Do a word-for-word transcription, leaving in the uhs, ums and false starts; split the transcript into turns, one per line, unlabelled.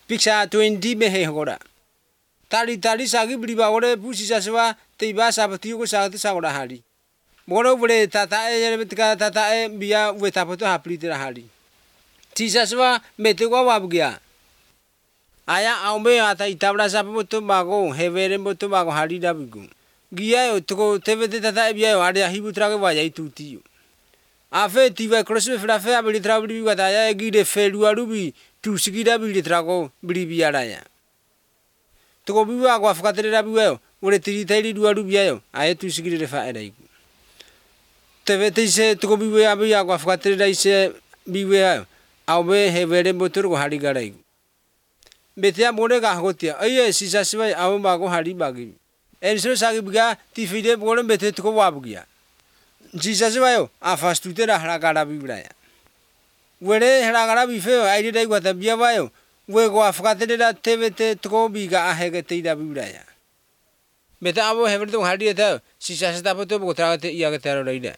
Picture twenty mehe hora. Tari tari sagi beriba ore pusi saswa tiba sabatiu ko sagati sagora hari. Moro bole tata e betika tata e biya wetapoto hapli tira hari. Tisaswa meteko wabgia. Aya aumbe ata itabra sabato bago hevere boto bago hari dabigu. Gia yo toko tevete tata e biya yo ada hibutra ke wajai tutiu. Afe tiba krosme frafe abili trabli wataya gide felu arubi tu sigida bili trago bili biaraya. Toko biwa kwa fakatere rabiwa ore tiri tiri dua arubi ayo aye tu sigide refa eraiku. Tevete se toko biwa abiya kwa fakatere raise biwa ayo aube hevere botor ko hari garaiku. Betia bore ka hotia aye sisa siwa awe bago hari bagi. Enso sagi biga tifide bore bete toko wabugia. Sisa siwa yo afastu tera haragara bibraya. Were haragara bifeo aire dai kwa tabia bayo we kwa fakatere da tevete toko biga ahege teida bibraya. Beta abo hevere to hari eta sisa sita poto botragate iya ke tero raida.